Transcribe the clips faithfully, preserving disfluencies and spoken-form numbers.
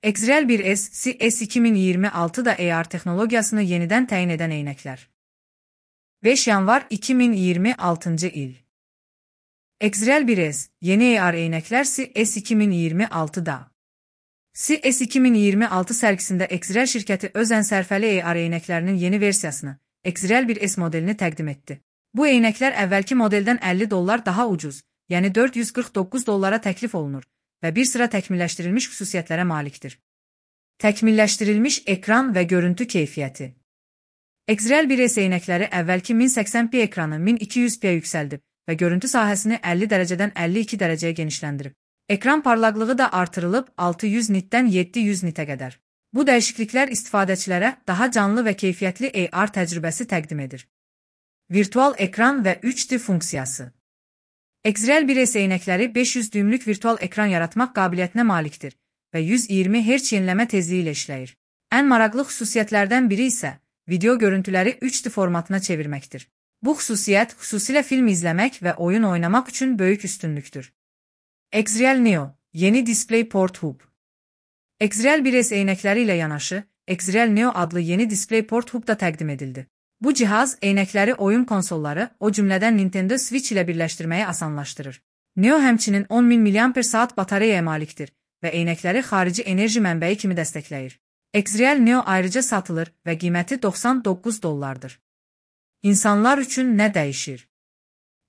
Xreal bir S, S iki min iyirmi altıda A R texnologiyasını yenidən təyin edən eynəklər. beş yanvar iki min iyirmi altıncı il. Xreal bir S, yeni A R eynəklər S iki min iyirmi altıda. S iki min iyirmi altı sərgisində Xreal şirkəti öz ənsərfəli A R eynəklərinin yeni versiyasını, Xreal bir S modelini təqdim etdi. Bu eynəklər əvvəlki modeldən əlli dollar daha ucuz, yəni dörd yüz qırx doqquz dollara təklif olunur və bir sıra təkmilləşdirilmiş xüsusiyyətlərə malikdir. Təkmilləşdirilmiş ekran və görüntü keyfiyyəti. Xreal bir S eynəkləri əvvəlki min səksən p ekranı min iki yüz p yüksəldib və görüntü sahəsini əlli dərəcədən əlli iki dərəcəyə genişləndirib. Ekran parlaqlığı da artırılıb altı yüz nitdən yeddi yüz nitə qədər. Bu dəyişikliklər istifadəçilərə daha canlı və keyfiyyətli A R təcrübəsi təqdim edir. Virtual ekran və üç D funksiyası. Xreal bir S eynəkləri beş yüz düymlük virtual ekran yaratmaq qabiliyyətinə malikdir və yüz iyirmi hertz yenilənmə tezliyi ilə işləyir. Ən maraqlı xüsusiyyətlərdən biri isə video görüntüləri üç D formatına çevirməkdir. Bu xüsusiyyət xüsusilə film izləmək və oyun oynamaq üçün böyük üstünlükdür. Xreal Neo, yeni DisplayPort Hub. Xreal bir S eynəkləri ilə yanaşı, Xreal Neo adlı yeni DisplayPort Hub da təqdim edildi. Bu cihaz eynəkləri oyun konsolları, o cümlədən Nintendo Switch ilə birləşdirməyi asanlaşdırır. Neo həmçinin on min miliamper saat batareyaya malikdir və eynəkləri xarici enerji mənbəyi kimi dəstəkləyir. Xreal Neo ayrıca satılır və qiyməti doxsan doqquz dollardır. İnsanlar üçün nə dəyişir?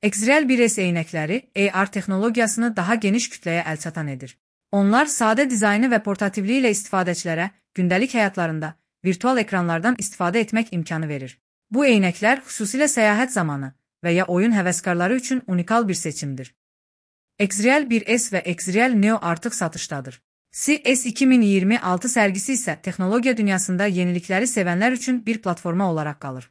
Xreal bir S eynəkləri A R texnologiyasını daha geniş kütləyə əlçatan edir. Onlar sadə dizaynı və portativliyi ilə istifadəçilərə gündəlik həyatlarında virtual ekranlardan istifadə etmək imkanı verir. Bu eynəklər xüsusilə səyahət zamanı və ya oyun həvəskarları üçün unikal bir seçimdir. Xreal bir S və Xreal Neo artıq satışdadır. S iki min iyirmi altı sərgisi isə texnologiya dünyasında yenilikləri sevənlər üçün bir platforma olaraq qalır.